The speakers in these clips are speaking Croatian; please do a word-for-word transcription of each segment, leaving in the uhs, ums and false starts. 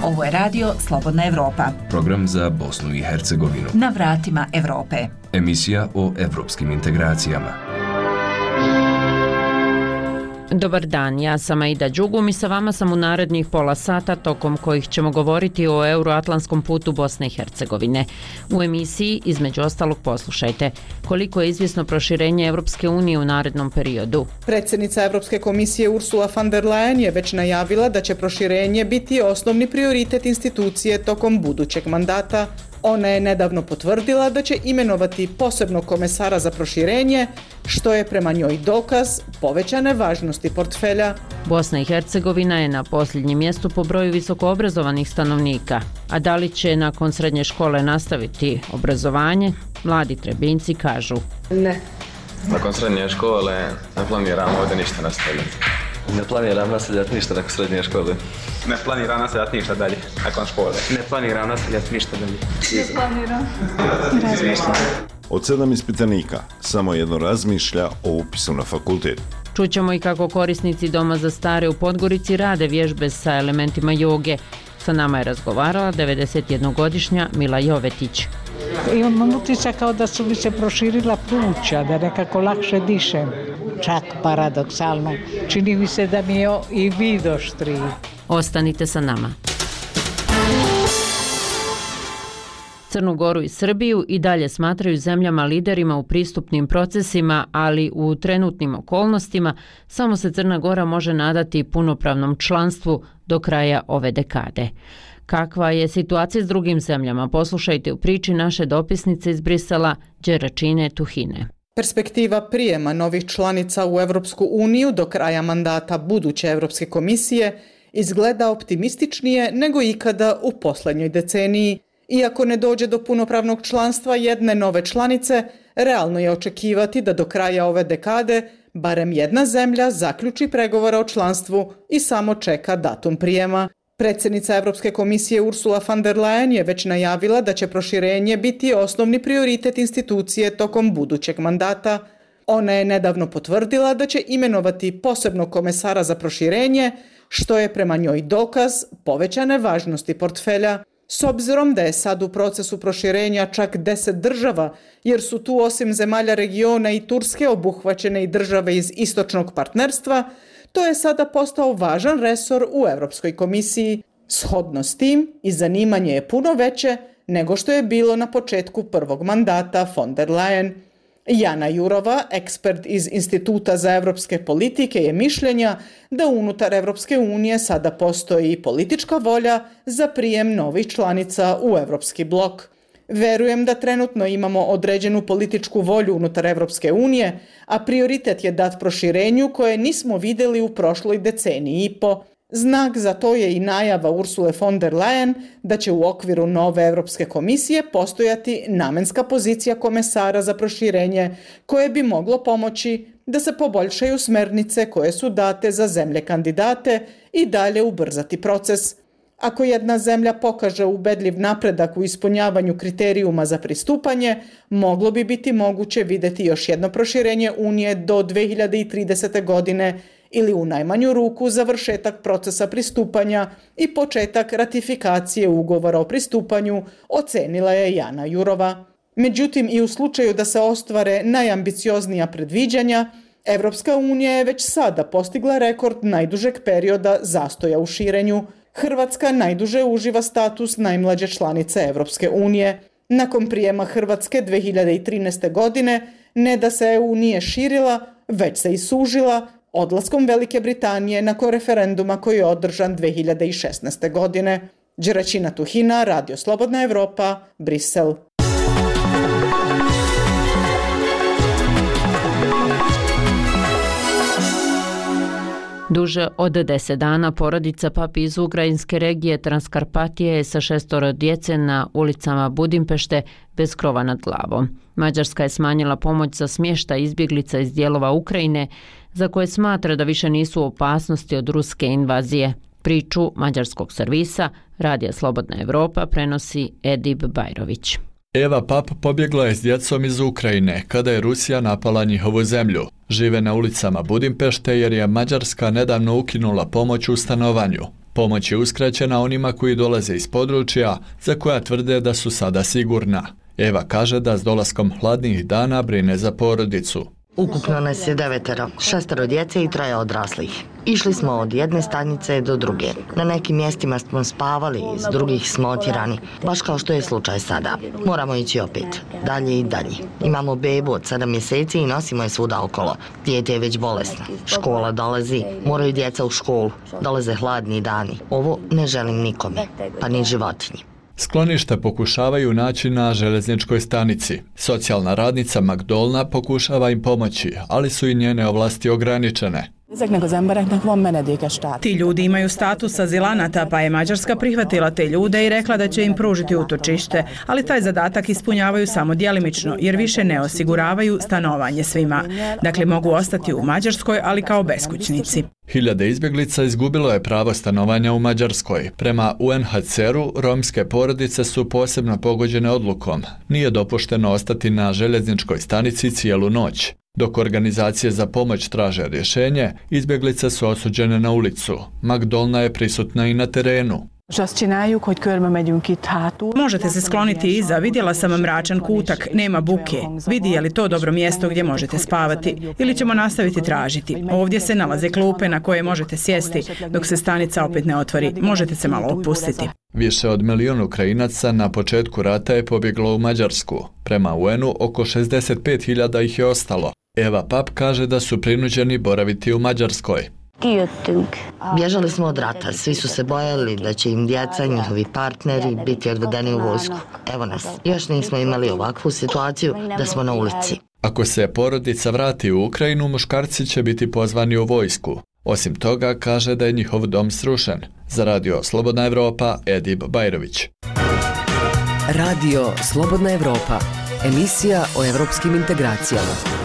Ovo je radio Slobodna Evropa. Program za Bosnu i Hercegovinu. Na vratima Evrope. Emisija o evropskim integracijama. Dobar dan, ja sam Aida Đugum i sa vama sam u narednih pola sata tokom kojih ćemo govoriti o euroatlantskom putu Bosne i Hercegovine. U emisiji, između ostalog, poslušajte koliko je izvjesno proširenje Evropske unije u narednom periodu. Predsjednica Evropske komisije Ursula von der Leyen je već najavila da će proširenje biti osnovni prioritet institucije tokom budućeg mandata. Ona je nedavno potvrdila da će imenovati posebnog komesara za proširenje, što je prema njoj dokaz povećane važnosti portfelja. Bosna i Hercegovina je na posljednjem mjestu po broju visokoobrazovanih stanovnika. A da li će nakon srednje škole nastaviti obrazovanje? Mladi Trebinjci kažu ne. Nakon srednje škole ne planiram ovdje ništa nastaviti. Ne planiram nastavljati ništa nakon srednje škole. Ne planiram nastavljati ništa dalje nakon škole. Ne planiram nastavljati ništa dalje. Ne planiram. Razmišljam. Od sedam ispitanika, samo jedno razmišlja o upisu na fakultet. Čućemo i kako korisnici Doma za stare u Podgorici rade vježbe sa elementima joge. Sa nama je razgovarala devedesetjednogodišnja Mila Jovetić. Imam utisak kao da su mi se proširila pluća, da nekako lakše dišem. Čak paradoksalno, čini mi se da mi je i vid oštriji. Ostanite sa nama. Crnu Goru i Srbiju i dalje smatraju zemljama liderima u pristupnim procesima, ali u trenutnim okolnostima samo se Crna Gora može nadati punopravnom članstvu do kraja ove dekade. Kakva je situacija s drugim zemljama? Poslušajte u priči naše dopisnice iz Brisela, Đeračine Tuhine. Perspektiva prijema novih članica u Evropsku uniju do kraja mandata buduće Evropske komisije izgleda optimističnije nego ikada u posljednjoj deceniji. Iako ne dođe do punopravnog članstva jedne nove članice, realno je očekivati da do kraja ove dekade barem jedna zemlja zaključi pregovore o članstvu i samo čeka datum prijema. Predsjednica Evropske komisije Ursula von der Leyen je već najavila da će proširenje biti osnovni prioritet institucije tokom budućeg mandata. Ona je nedavno potvrdila da će imenovati posebnog komesara za proširenje, što je prema njoj dokaz povećane važnosti portfelja. S obzirom da je sad u procesu proširenja čak deset država, jer su tu osim zemalja regiona i Turske obuhvaćene i države iz istočnog partnerstva, to je sada postao važan resor u Europskoj komisiji. Shodno s tim i zanimanje je puno veće nego što je bilo na početku prvog mandata von der Leyen. Jana Jurova, ekspert iz Instituta za evropske politike, je mišljenja da unutar Evropske unije sada postoji politička volja za prijem novih članica u Evropski blok. Verujem da trenutno imamo određenu političku volju unutar Evropske unije, a prioritet je dat proširenju koje nismo vidjeli u prošloj deceniji i po. Znak za to je i najava Ursule von der Leyen da će u okviru nove Evropske komisije postojati namenska pozicija komesara za proširenje koje bi moglo pomoći da se poboljšaju smernice koje su date za zemlje kandidate i dalje ubrzati proces. Ako jedna zemlja pokaže ubedljiv napredak u ispunjavanju kriterijuma za pristupanje, moglo bi biti moguće vidjeti još jedno proširenje Unije do dve hiljade tridesete. godine ili u najmanju ruku završetak procesa pristupanja i početak ratifikacije ugovora o pristupanju, ocenila je Jana Jurova. Međutim, i u slučaju da se ostvare najambicioznija predviđanja, Evropska unija je već sada postigla rekord najdužeg perioda zastoja u širenju. Hrvatska najduže uživa status najmlađe članice Evropske unije. Nakon prijema Hrvatske dve hiljade trinaeste. godine ne da se E U nije širila, već se i sužila odlaskom Velike Britanije nakon referenduma koji je održan dve hiljade šesnaeste. godine. Đeračina Tuhina, Radio Slobodna Evropa, Brisel. Duže od deset dana porodica papi iz ukrajinske regije Transkarpatije je sa šestoro djece na ulicama Budimpešte bez krova nad glavom. Mađarska je smanjila pomoć za smještaj izbjeglica iz dijelova Ukrajine za koje smatra da više nisu u opasnosti od ruske invazije. Priču mađarskog servisa Radija Slobodna Evropa prenosi Edib Bajrović. Eva Pap pobjegla je s djecom iz Ukrajine kada je Rusija napala njihovu zemlju. Žive na ulicama Budimpešte jer je Mađarska nedavno ukinula pomoć u stanovanju. Pomoć je uskraćena onima koji dolaze iz područja za koja tvrde da su sada sigurna. Eva kaže da s dolaskom hladnih dana brine za porodicu. Ukupno nas je devetero, šestero djece i troje odraslih. Išli smo od jedne stanice do druge. Na nekim mjestima smo spavali, iz drugih smo otjerani, baš kao što je slučaj sada. Moramo ići opet, dalje i dalje. Imamo bebu od sedam mjeseci i nosimo je svuda okolo. Dijete je već bolesno. Škola dolazi, moraju djeca u školu. Dolaze hladni dani. Ovo ne želim nikome, pa ni životinji. Sklonište pokušavaju naći na željezničkoj stanici. Socijalna radnica Magdolna pokušava im pomoći, ali su i njene ovlasti ograničene. Ti ljudi imaju status azilanata, pa je Mađarska prihvatila te ljude i rekla da će im pružiti utočište, ali taj zadatak ispunjavaju samo djelimično, jer više ne osiguravaju stanovanje svima. Dakle, mogu ostati u Mađarskoj, ali kao beskućnici. Hiljade izbjeglica izgubilo je pravo stanovanja u Mađarskoj. Prema U N H C R-u, romske porodice su posebno pogođene odlukom. Nije dopušteno ostati na željezničkoj stanici cijelu noć. Dok organizacije za pomoć traže rješenje, izbjeglice su osuđene na ulicu. Magdolna je prisutna i na terenu. Možete se skloniti iza, vidjela sam mračan kutak, nema buke. Vidi je li to dobro mjesto gdje možete spavati ili ćemo nastaviti tražiti. Ovdje se nalaze klupe na koje možete sjesti dok se stanica opet ne otvori. Možete se malo opustiti. Više od milijun Ukrajinaca na početku rata je pobjeglo u Mađarsku. Prema U N-u oko šezdeset pet hiljada ih je ostalo. Eva Pap kaže da su prinuđeni boraviti u Mađarskoj. Bježali smo od rata, svi su se bojali da će im djeca, njihovi partneri biti odvedeni u vojsku. Evo nas, još nismo imali ovakvu situaciju da smo na ulici. Ako se porodica vrati u Ukrajinu, muškarci će biti pozvani u vojsku. Osim toga, kaže da je njihov dom srušen. Za radio Slobodna Evropa, Edib Bajrović. Radio Slobodna Evropa, emisija o evropskim integracijama.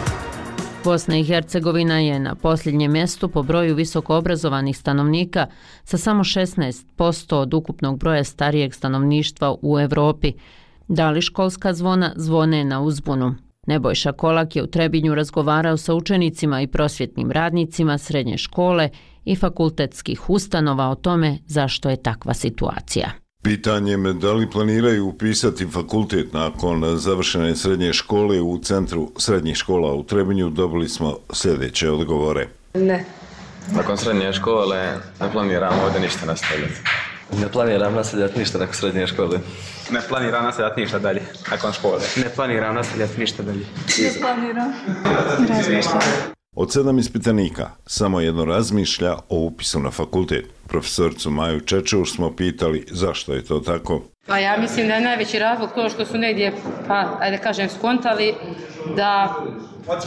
Bosna i Hercegovina je na posljednjem mjestu po broju visokoobrazovanih stanovnika sa samo šesnaest posto od ukupnog broja starijeg stanovništva u Europi. Da li školska zvona zvone na uzbunu? Nebojša Kolak je u Trebinju razgovarao sa učenicima i prosvjetnim radnicima srednje škole i fakultetskih ustanova o tome zašto je takva situacija. Pitanjem da li planiraju upisati fakultet nakon završene srednje škole u Centru srednjih škola u Trebinju dobili smo sljedeće odgovore. Ne. Nakon srednje škole ne planiramo ovdje ništa nastavljati. Ne planiram nastavljati ništa nakon srednje škole. Ne planiram nastavljati ništa dalje nakon škole. Ne planiram nastavljati ništa dalje. Ne planiram. Razmišljam. Od sedam ispitanika, samo jedno razmišlja o upisu na fakultet. Profesoricu Maju Čečeuš smo pitali zašto je to tako. Pa ja mislim da je najveći razlog to što su negdje, pa ajde kažem, skontali da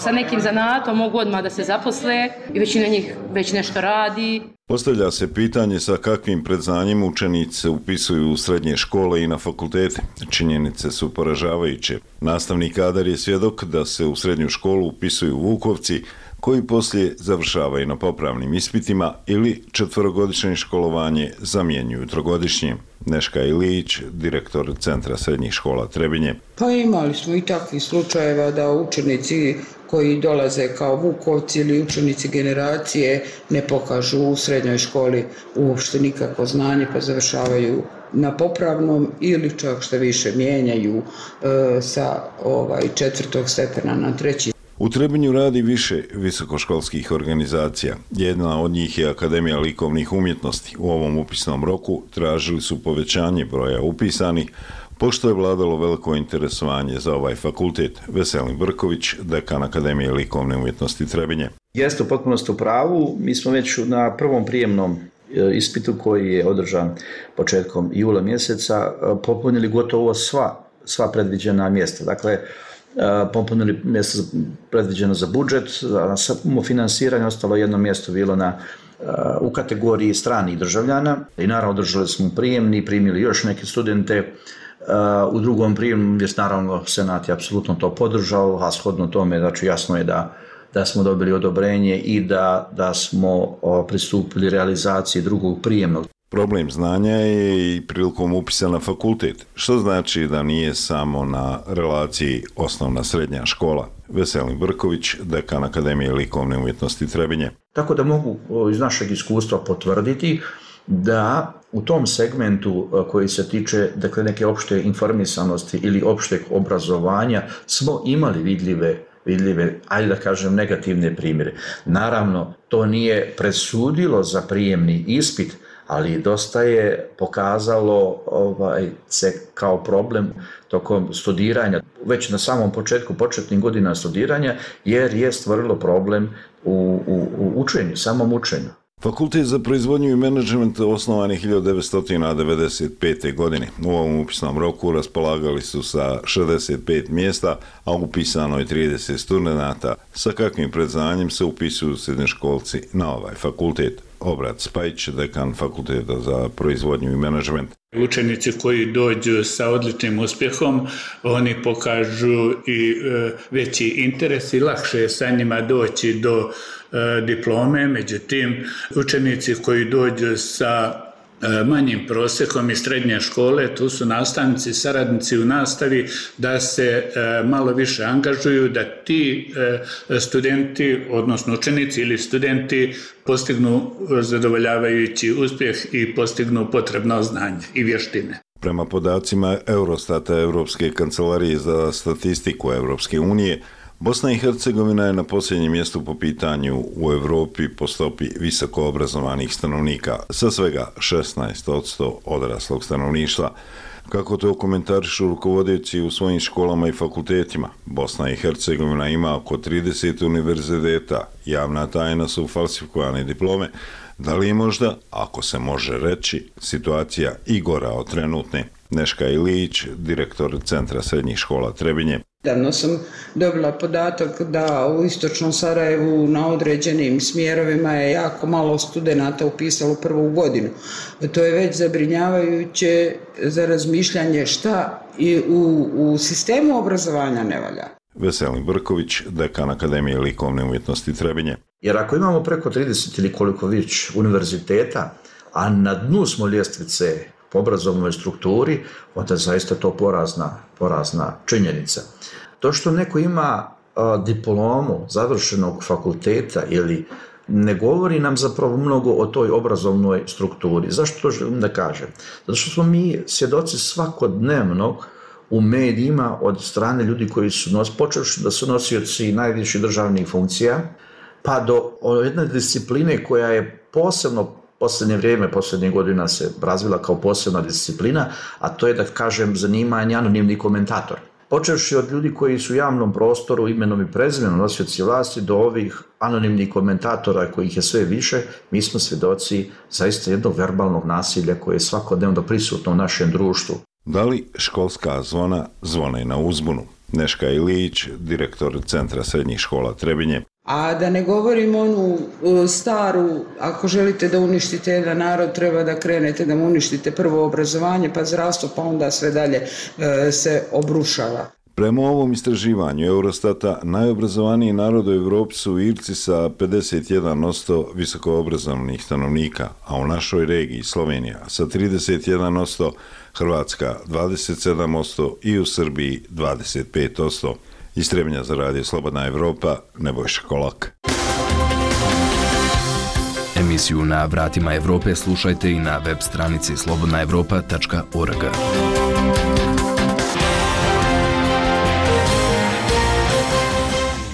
sa nekim zanatom mogu odmah da se zaposle i većina njih već nešto radi. Postavlja se pitanje sa kakvim predznanjem učenici se upisuju u srednje škole i na fakultete. Činjenice su poražavajuće. Nastavni kadar je svjedok da se u srednju školu upisuju Vukovci, koji poslije završavaju na popravnim ispitima ili četverogodišnje školovanje zamjenjuju trogodišnje. Neška Ilić, direktor Centra srednjih škola Trebinje. Pa imali smo i takvih slučajeva da učenici koji dolaze kao Vukovci ili učenici generacije ne pokažu u srednjoj školi uopšte nikakvo znanje pa završavaju na popravnom ili čak što više mijenjaju e, sa ovaj, četvrtog stepena na treći. U Trebinju radi više visokoškolskih organizacija. Jedna od njih je Akademija likovnih umjetnosti. U ovom upisnom roku tražili su povećanje broja upisanih, pošto je vladalo veliko interesovanje za ovaj fakultet. Veselin Brković, dekan Akademije likovne umjetnosti Trebinje. Jeste u potpunosti u pravu. Mi smo već na prvom prijemnom ispitu koji je održan početkom jula mjeseca popunili gotovo sva, sva predviđena mjesta. Dakle, popunili mjesto predviđeno za budžet, a samo finansiranje ostalo jedno mjesto bilo na, u kategoriji stranih državljana i naravno održali smo prijemni, primili još neke studente. U drugom prijemu je naravno Senat je apsolutno to podržao, a shodno tome znači jasno je da, da smo dobili odobrenje i da, da smo pristupili realizaciji drugog prijemnog. Problem znanja je i prilikom upisa na fakultet, što znači da nije samo na relaciji osnovna srednja škola, Veselin Brković, dekan Akademije likovne umjetnosti Trebinje. Tako da mogu iz našeg iskustva potvrditi da u tom segmentu koji se tiče dakle, neke opšte informisanosti ili opšteg obrazovanja smo imali vidljive, vidljive, ajde da kažem, negativne primjere. Naravno, to nije presudilo za prijemni ispit, ali dosta je pokazalo ovaj, se kao problem tokom studiranja, već na samom početku, početnih godina studiranja, jer je stvorilo problem u, u, u učenju, samom učenju. Fakultet za proizvodnju i menadžment osnovan je hiljadu devetsto devedeset pete. godine. U ovom upisnom roku raspolagali su sa šezdeset pet mjesta, a upisano je trideset studenata. Sa kakvim predznanjem se upisuju srednjoškolci na ovaj fakultet? Obrat Spajić, dekan Fakulteta za proizvodnju i menadžment. Učenici koji dođu sa odličnim uspjehom, oni pokažu i e, veći interes i lakše je sa njima doći do e, diplome. Međutim, učenici koji dođu sa manjim prosjekom iz srednje škole, tu su nastavnici, saradnici u nastavi, da se malo više angažuju, da ti studenti, odnosno učenici ili studenti postignu zadovoljavajući uspjeh i postignu potrebno znanje i vještine. Prema podacima Eurostata, Europske kancelarije za statistiku Europske unije, Bosna i Hercegovina je na posljednjem mjestu po pitanju u Europi po stopi visoko obrazovanih stanovnika, sa svega šesnaest posto odraslog stanovništva. Kako to komentarišu rukovodioci u svojim školama i fakultetima, Bosna i Hercegovina ima oko trideset univerziteta, javna tajna su falsifikovane diplome. Da li je možda, ako se može reći, situacija i gora od trenutne? Neška Ilić, direktor Centra srednjih škola Trebinje. Davno sam dobila podatak da u istočnom Sarajevu na određenim smjerovima je jako malo studenata upisalo prvu godinu. To je već zabrinjavajuće za razmišljanje šta i u, u sistemu obrazovanja ne valja. Veselin Brković, dekan Akademije likovne umjetnosti Trebinje. Jer ako imamo preko trideset ili koliko već univerziteta, a na dnu smo ljestvice po obrazovnoj strukturi, onda zaista to porazna, porazna činjenica. To što neko ima a, diplomu završenog fakulteta ili ne govori nam zapravo mnogo o toj obrazovnoj strukturi. Zašto to želim da kažem? Zato što smo mi svjedoci svakodnevno u medijima od strane ljudi koji su nos, počevši da su nosioci najviših državnih funkcija, pa do jedne discipline koja je posebno posljednje vrijeme, posljednjih godina se razvila kao posebna disciplina, a to je, da kažem, zanimanje anonimni komentator. Počevši od ljudi koji su u javnom prostoru imenom i prezimenom nosioci vlasti do ovih anonimnih komentatora kojih je sve više, mi smo svjedoci zaista jednog verbalnog nasilja koje je svakodnevno prisutno u našem društvu. Da li školska zvona zvone na uzbunu? Neška Ilić, direktor Centra srednjih škola Trebinje. A da ne govorim onu staru, ako želite da uništite jedan narod, treba da krenete da mu uništite prvo obrazovanje, pa zdravstvo, pa onda sve dalje e, se obrušava. Prema ovom istraživanju Eurostata, najobrazovaniji narod u Evropi su Irci sa pedeset jedan posto visokoobrazovnih stanovnika, a u našoj regiji Slovenija sa trideset jedan posto, Hrvatska dvadeset sedam posto i u Srbiji dvadeset pet posto. Iz Trebinja za radio Slobodna Evropa, Nebojša Kolak. Emisiju Na vratima Evrope slušajte i na web stranici slobodna evropa tačka org.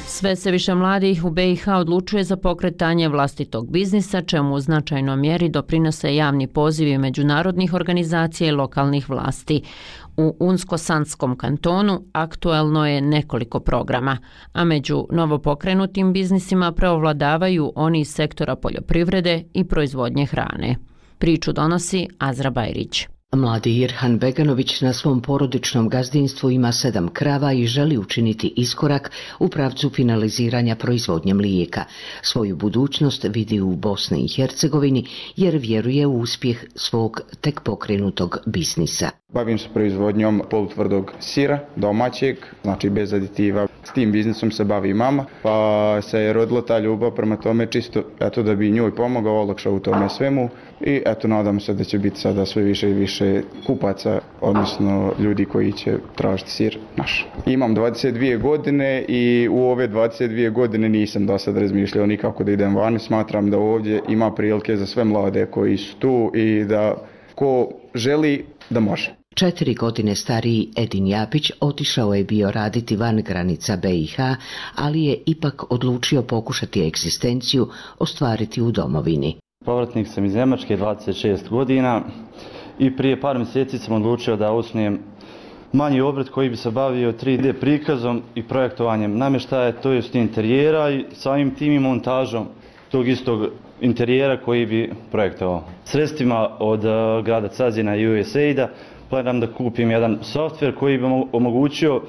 Sve se više mladih u B i H odlučuje za pokretanje vlastitog biznisa, čemu u značajnoj mjeri doprinose javni pozivi međunarodnih organizacija i lokalnih vlasti. U Unsko-Sanskom kantonu aktuelno je nekoliko programa, a među novopokrenutim biznisima preovladavaju oni iz sektora poljoprivrede i proizvodnje hrane. Priču donosi Azra Bajrić. Mladi Irhan Beganović na svom porodičnom gazdinstvu ima sedam krava i želi učiniti iskorak u pravcu finaliziranja proizvodnje mlijeka. Svoju budućnost vidi u Bosni i Hercegovini jer vjeruje u uspjeh svog tek pokrenutog biznisa. Bavim se proizvodnjom polutvrdog sira, domaćeg, znači bez aditiva. S tim biznisom se bavi mama, pa se je rodila ta ljubav prema tome čisto eto da bi njoj pomogao, olakšao u tome svemu i eto nadam se da će biti sada sve više i više kupaca, odnosno ljudi koji će tražiti sir naš. Imam dvadeset dvije godine i u ove dvadeset dvije godine nisam do sad razmišljao nikako da idem vani. Smatram da ovdje ima prilike za sve mlade koji su tu i da ko želi da može. Četiri godine stariji Edin Japić otišao je bio raditi van granica B i H, ali je ipak odlučio pokušati egzistenciju ostvariti u domovini. Povratnik sam iz Njemačke, dvadeset šest godina i prije par mjeseci sam odlučio da osnujem manji obrt koji bi se bavio tri D prikazom i projektovanjem namještaja, to jest interijera i samim tim i montažom tog istog interijera koji bi projektovao. Sredstvima od grada Cazina i U S A I D-a planiram da kupim jedan softver koji bi omogućio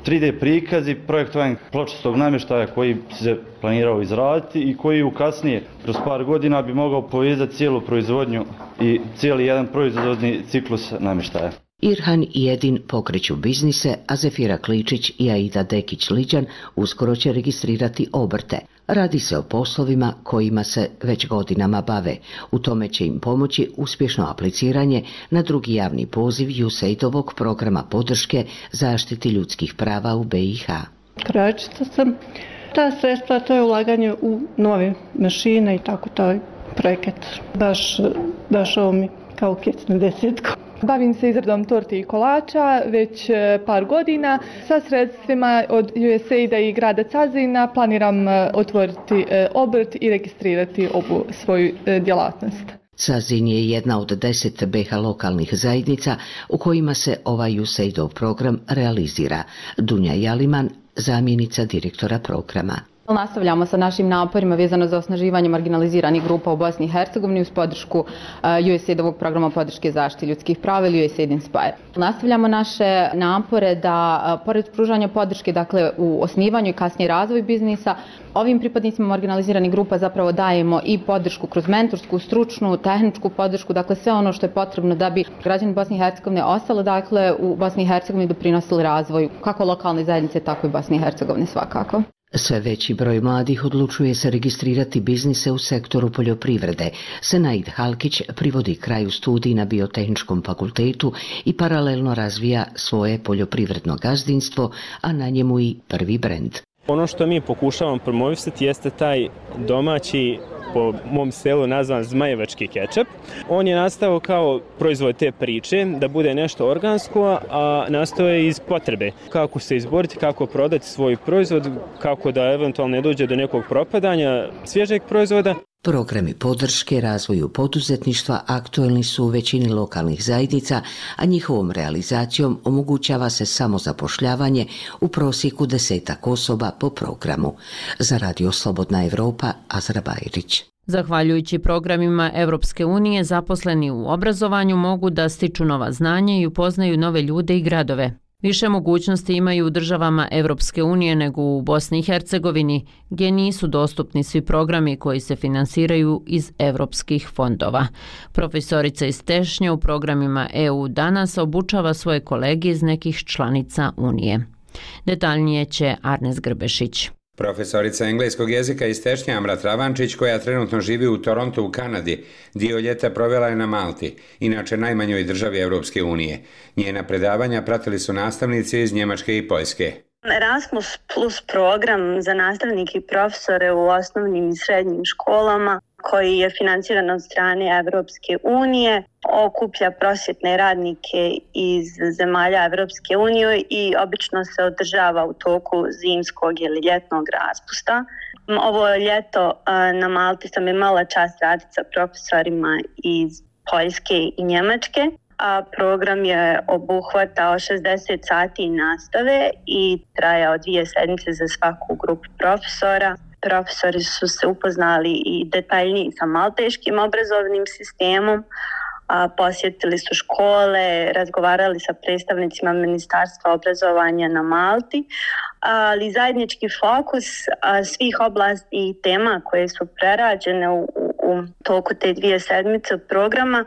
tri D prikaz i projektovanje pločastog namještaja koji se planirao izraditi i koji u kasnije, kroz par godina, bi mogao povezati cijelu proizvodnju i cijeli jedan proizvodni ciklus namještaja. Irhan i Edin pokreću biznise, a Zefira Kličić i Aida Dekić-Liđan uskoro će registrirati obrte. Radi se o poslovima kojima se već godinama bave. U tome će im pomoći uspješno apliciranje na drugi javni poziv U S A I D-ovog programa podrške zaštiti ljudskih prava u B i H. Krojačica sam. Ta sredstva, to je ulaganje u nove mašine i tako taj projekat. Baš došao mi kao kec na desetku. Bavim se izradom torti i kolača već par godina. Sa sredstvima od U S A I D-a i grada Cazina planiram otvoriti obrt i registrirati ovu svoju djelatnost. Cazin je jedna od deset B i H lokalnih zajednica u kojima se ovaj U S A I D-ov program realizira. Dunja Jaliman, zamjenica direktora programa. Nastavljamo sa našim naporima vezano za osnaživanje marginaliziranih grupa u Bosni i Hercegovini uz podršku U S A I D-ovog programa podrške zaštite ljudskih prava ili U S A I D Inspire. Nastavljamo naše napore da, pored pružanja podrške, dakle, u osnivanju i kasnije razvoju biznisa, ovim pripadnicima marginaliziranih grupa zapravo dajemo i podršku kroz mentorsku, stručnu, tehničku podršku, dakle sve ono što je potrebno da bi građani Bosne i Hercegovine ostali, dakle, u Bosni i Hercegovini doprinosili razvoju kako lokalne zajednice, tako i Bosne i Hercegovine svakako. Sve veći broj mladih odlučuje se registrirati biznise u sektoru poljoprivrede. Senaid Halkić privodi kraju studij na Biotehničkom fakultetu i paralelno razvija svoje poljoprivredno gazdinstvo, a na njemu i prvi brend. Ono što mi pokušavamo promovisati jeste taj domaći, po mom selu nazvan zmajevački kečap. On je nastao kao proizvod te priče, da bude nešto organsko, a nastao je iz potrebe. Kako se izboriti, kako prodati svoj proizvod, kako da eventualno ne dođe do nekog propadanja svježeg proizvoda. Programi podrške razvoju poduzetništva aktuelni su u većini lokalnih zajednica, a njihovom realizacijom omogućava se samozapošljavanje u prosjeku desetak osoba po programu. Za Radio Slobodna Evropa, Azra Bajrić. Zahvaljujući programima Evropske unije, zaposleni u obrazovanju mogu da stiču nova znanja i upoznaju nove ljude i gradove. Više mogućnosti imaju u državama Evropske unije nego u Bosni i Hercegovini, gdje nisu dostupni svi programi koji se finansiraju iz evropskih fondova. Profesorica iz Tešnje u programima E U danas obučava svoje kolege iz nekih članica Unije. Detaljnije će Arnes Grbešić. Profesorica engleskog jezika iz Tešnje Amra Travančić, koja trenutno živi u Torontu u Kanadi, dio ljeta provela je na Malti, inače najmanjoj državi Evropske unije. Njena predavanja pratili su nastavnici iz Njemačke i Poljske. Erasmus Plus program za nastavnike i profesore u osnovnim i srednjim školama, koji je financiran od strane Evropske unije, okuplja prosvjetne radnike iz zemalja Evropske unije i obično se održava u toku zimskog ili ljetnog raspusta. Ovo ljeto na Malti sam imala čast raditi sa profesorima iz Poljske i Njemačke. A program je obuhvatao šezdeset sati nastave i trajao dvije sedmice za svaku grupu profesora. Profesori su se upoznali i detaljnije sa malteškim obrazovnim sistemom, a posjetili su škole, razgovarali sa predstavnicima Ministarstva obrazovanja na Malti, ali zajednički fokus svih oblasti i tema koje su prerađene u, u toku te dvije sedmice programa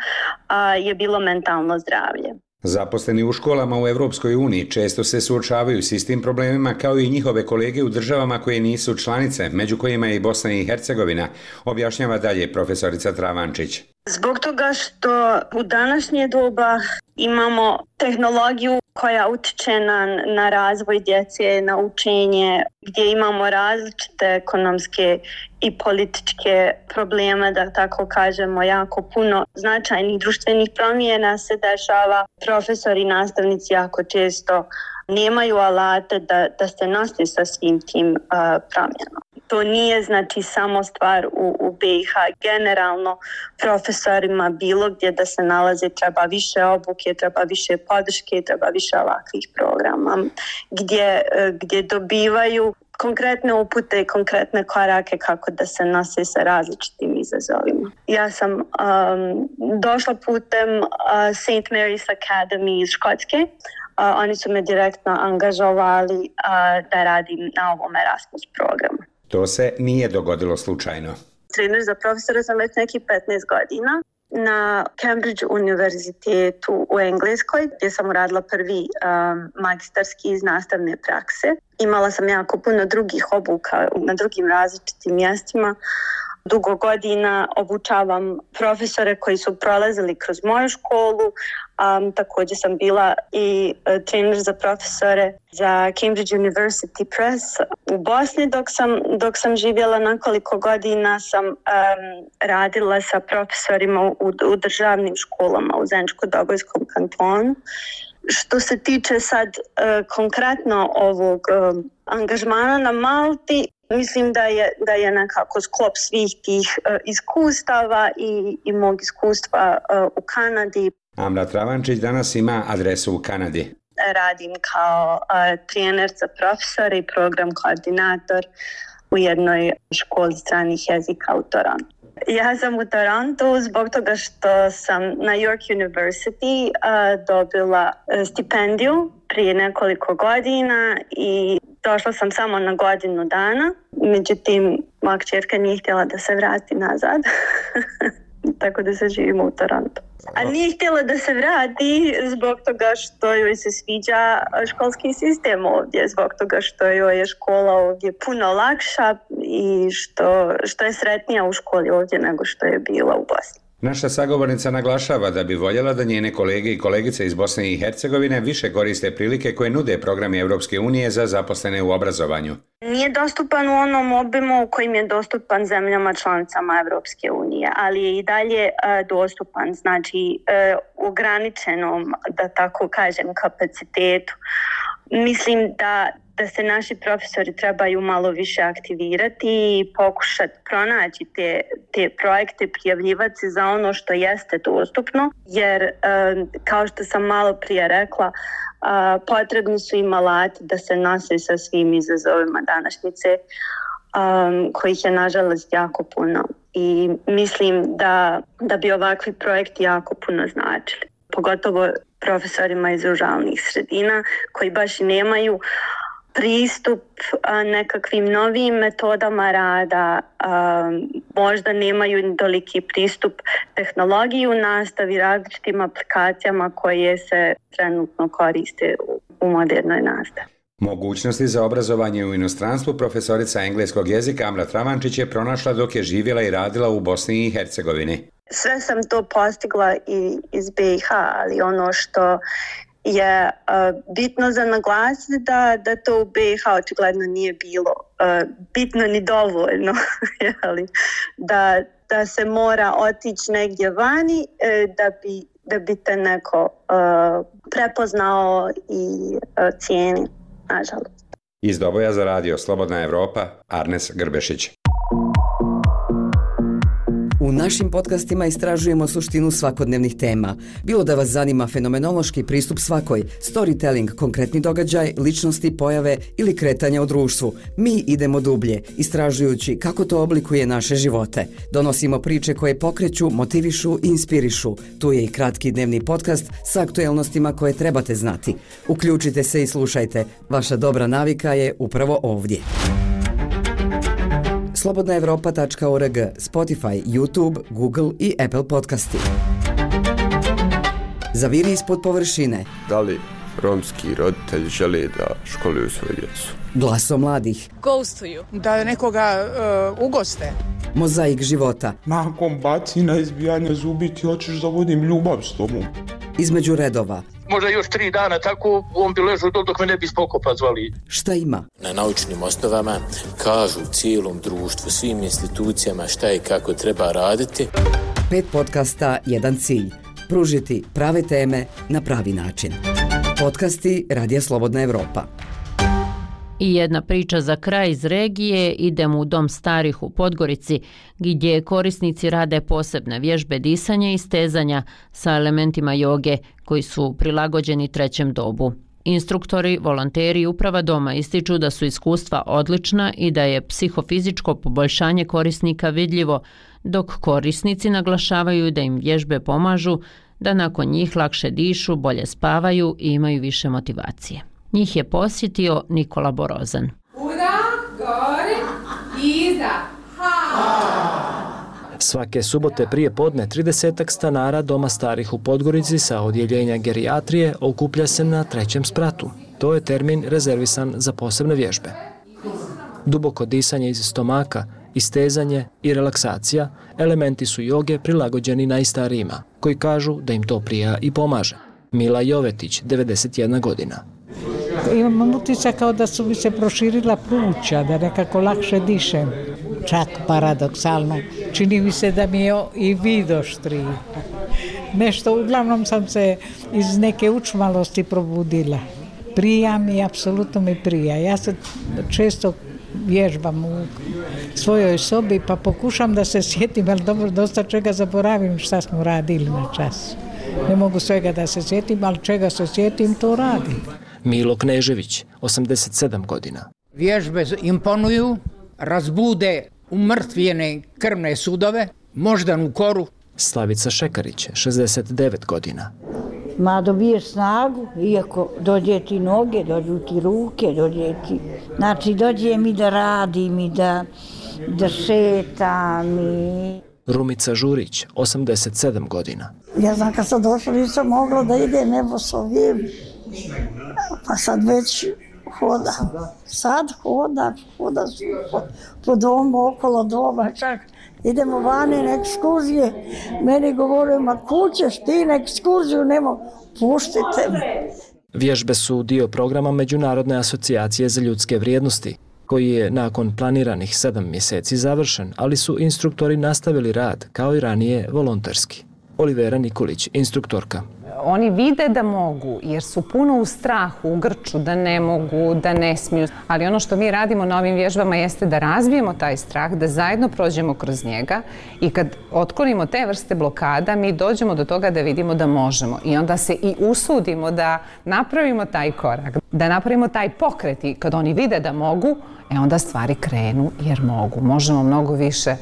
je bilo mentalno zdravlje. Zaposleni u školama u Europskoj uniji često se suočavaju s istim problemima kao i njihove kolege u državama koje nisu članice, među kojima je i Bosna i Hercegovina, objašnjava dalje profesorica Travančić. Zbog toga što u današnje doba imamo tehnologiju koja utiče na, na razvoj djece, na učenje, gdje imamo različite ekonomske i političke probleme, da tako kažemo, jako puno značajnih društvenih promjena se dešava. Profesori i nastavnici jako često nemaju alate da, da se nose sa svim tim uh, promjenama. To nije znači samo stvar u, u B i H. Generalno profesorima bilo gdje da se nalaze treba više obuke, treba više podrške, treba više ovakvih programa gdje, gdje dobivaju konkretne upute i konkretne korake kako da se nose sa različitim izazovima. Ja sam um, došla putem uh, Saint Mary's Academy iz Škotske. Uh, oni su me direktno angažovali uh, da radim na ovom Erasmus programu. To se nije dogodilo slučajno. Trener za profesora sam već nekih petnaest godina na Cambridge univerzitetu u Engleskoj, gdje sam uradila prvi um, magistarski iz nastavne prakse. Imala sam jako puno drugih obuka na drugim različitim mjestima. Dugo godina obučavam profesore koji su prolazili kroz moju školu. Um, također sam bila i uh, trener za profesore za Cambridge University Press u Bosni. Dok sam, dok sam živjela nekoliko godina sam um, radila sa profesorima u, u državnim školama u Zeničko-Dobojskom kantonu. Što se tiče sad uh, konkretno ovog uh, angažmana na Malti, mislim da je, da je nekako sklop svih tih uh, iskustava i, i mog iskustva uh, u Kanadi. Amra Travančić danas ima adresu u Kanadi. Radim kao uh, trener za profesore i program koordinator u jednoj školi stranih jezika u Torontu. Ja sam u Torontu zbog toga što sam na York University uh, dobila stipendiju prije nekoliko godina i došla sam samo na godinu dana. Međutim, moja kćerka nije htjela da se vrati nazad, tako da se živimo u Torontu. A nije htjela da se vrati zbog toga što joj se sviđa školski sistem ovdje, zbog toga što joj je škola ovdje puno lakša i što, što je sretnija u školi ovdje nego što je bila u Bosni. Naša sagovornica naglašava da bi voljela da njene kolege i kolegice iz Bosne i Hercegovine više koriste prilike koje nude programi Europske unije za zaposlene u obrazovanju. Nije dostupan u onom obimu u kojim je dostupan zemljama članicama Europske unije, ali je i dalje uh, dostupan, znači uh, ograničenom, da tako kažem, kapacitetu. Mislim da da se naši profesori trebaju malo više aktivirati i pokušati pronaći te, te projekte, prijavljivati se za ono što jeste dostupno, jer kao što sam malo prije rekla, potrebni su im alati da se nose sa svim izazovima današnjice, kojih je nažalost jako puno. I mislim da, da bi ovakvi projekti jako puno značili, pogotovo profesorima iz ruralnih sredina koji baš i nemaju pristup a, nekakvim novim metodama rada, a, možda nemaju toliki pristup tehnologiji u nastavi, različitim aplikacijama koje se trenutno koriste u, u modernoj nastavi. Mogućnosti za obrazovanje u inostranstvu profesorica engleskog jezika Amra Travančić je pronašla dok je živjela i radila u Bosni i Hercegovini. Sve sam to postigla i iz B i H, ali ono što je uh, bitno za naglasiti da, da to u B i H očigledno nije bilo uh, bitno ni dovoljno, jeli? Da, da se mora otići negdje vani uh, da, bi, da bi te neko uh, prepoznao i uh, cijeni, nažalost. Iz Doboja za radio Slobodna Evropa, Arnes Grbešić. U našim podcastima istražujemo suštinu svakodnevnih tema. Bilo da vas zanima fenomenološki pristup svakoj, storytelling, konkretni događaj, ličnosti, pojave ili kretanja u društvu. Mi idemo dublje, istražujući kako to oblikuje naše živote. Donosimo priče koje pokreću, motivišu i inspirišu. Tu je i kratki dnevni podcast sa aktuelnostima koje trebate znati. Uključite se i slušajte. Vaša dobra navika je upravo ovdje. slobodna evropa tačka org, Spotify, YouTube, Google i Apple podcasti. Zaviri ispod površine. Da li romski roditelji žele da školuju svoju djecu? Glaso mladih. Ghostuju. Da nekoga uh, ugoste. Mozaik života. Nakon bacina, izbijanja zubi ti hoćeš da vodim ljubav s tobom. Između redova. Možda još tri dana tako on bi ležao dok me ne bi spokopa zvali. Šta ima? Na naučnim osnovama kažu cijelom društvu, svim institucijama šta i kako treba raditi. Pet podcasta, jedan cilj. Pružiti prave teme na pravi način. Podcasti Radija Slobodna Evropa. I jedna priča za kraj iz regije, idemo u Dom starih u Podgorici, gdje korisnici rade posebne vježbe disanja i stezanja sa elementima joge koji su prilagođeni trećem dobu. Instruktori, volonteri i uprava doma ističu da su iskustva odlična i da je psihofizičko poboljšanje korisnika vidljivo, dok korisnici naglašavaju da im vježbe pomažu da nakon njih lakše dišu, bolje spavaju i imaju više motivacije. Njih je posjetio Nikola Borozan. Uda, gore, iza, ha! Svake subote prije podne tridesetak stanara Doma starih u Podgorici sa odjeljenja gerijatrije okuplja se na trećem spratu. To je termin rezervisan za posebne vježbe. Duboko disanje iz stomaka, istezanje i relaksacija elementi su joge prilagođeni najstarijima, koji kažu da im to prija i pomaže. Mila Jovetić, devedeset jedna godina. Imam utisak kao da su mi se proširila pluća, da nekako lakše dišem. Čak paradoksalno. Čini mi se da mi je i vid oštriji. Nešto, uglavnom sam se iz neke učmalosti probudila. Prija mi, apsolutno mi prija. Ja se često vježbam u svojoj sobi pa pokušam da se sjetim, ali dobro, dosta čega zaboravim šta smo radili na čas. Ne mogu svega da se sjetim, ali čega se sjetim, to radim. Milo Knežević, osamdeset sedam godina. Vježbe imponuju, razbude umrtvljene krvne sudove, moždanu koru. Slavica Šekarić, šezdeset devet godina. Ma dobiješ snagu, iako dođe ti noge, dođu ti ruke, dođe ti... Znači, dođe mi da radim i da, da šetam i... Rumica Žurić, osamdeset sedam godina. Ja znam, kad sam došla, nisam mogla da ide nebo s ovim, pa sad već hodam. Sad hodam, hodam po, po domu, okolo doma, čak idemo vani na ekskurzije. Meni govore, ma kućeš ti na ekskurziju, nemo, puštite me. Vježbe su dio programa Međunarodne asocijacije za ljudske vrijednosti, koji je nakon planiranih sedam mjeseci završen, ali su instruktori nastavili rad, kao i ranije, volonterski. Olivera Nikolić, instruktorka. Oni vide da mogu, jer su puno u strahu, u grču, da ne mogu, da ne smiju. Ali ono što mi radimo na ovim vježbama jeste da razvijemo taj strah, da zajedno prođemo kroz njega i kad otklonimo te vrste blokada, mi dođemo do toga da vidimo da možemo. I onda se i usudimo da napravimo taj korak, da napravimo taj pokret i kad oni vide da mogu, e onda stvari krenu jer mogu. Možemo mnogo više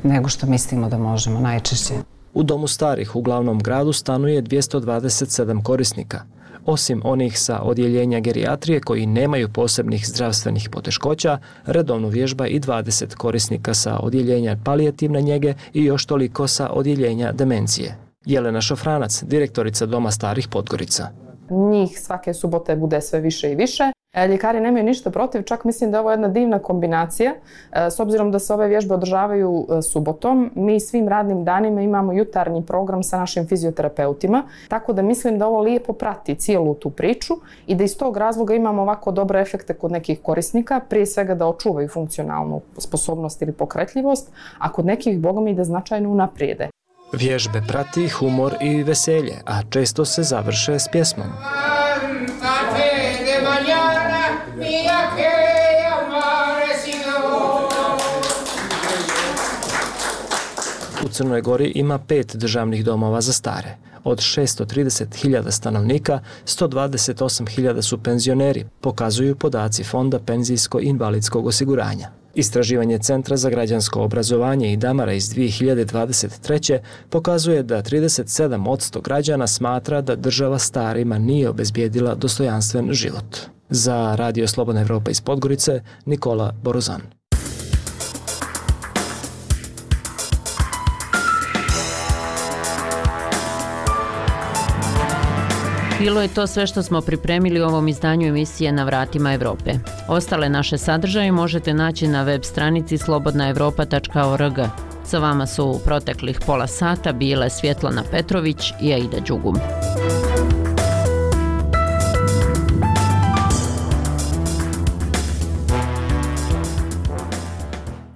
nego što mislimo da možemo najčešće. U Domu starih u glavnom gradu stanuje dvjesto dvadeset sedam korisnika. Osim onih sa odjeljenja gerijatrije koji nemaju posebnih zdravstvenih poteškoća, redovno vježba i dvadeset korisnika sa odjeljenja palijativne njege i još toliko sa odjeljenja demencije. Jelena Šofranac, direktorica Doma starih Podgorica. Njih svake subote bude sve više i više. Ljekari nemaju ništa protiv, čak mislim da je ovo jedna divna kombinacija. S obzirom da se ove vježbe održavaju subotom, mi svim radnim danima imamo jutarnji program sa našim fizioterapeutima, tako da mislim da ovo lijepo prati cijelu tu priču i da iz tog razloga imamo ovako dobre efekte kod nekih korisnika, prije svega da očuvaju funkcionalnu sposobnost ili pokretljivost, a kod nekih, boga mi, da značajno unaprijede. Vježbe prati humor i veselje, a često se završe s pjesmom. U Crnoj Gori ima pet državnih domova za stare. Od šesto trideset hiljada stanovnika, sto dvadeset osam hiljada su penzioneri, pokazuju podaci Fonda penzijsko-invalidskog osiguranja. Istraživanje Centra za građansko obrazovanje i Damara iz dvije hiljade dvadeset treće pokazuje da trideset sedam posto građana smatra da država starima nije obezbijedila dostojanstven život. Za Radio Slobodna Evropa iz Podgorice, Nikola Borozan. Bilo je to sve što smo pripremili u ovom izdanju emisije Na vratima Evrope. Ostale naše sadržaje možete naći na web stranici slobodna evropa tačka org. Sa vama su u proteklih pola sata bile Svjetlana Petrović i Aida Đugum.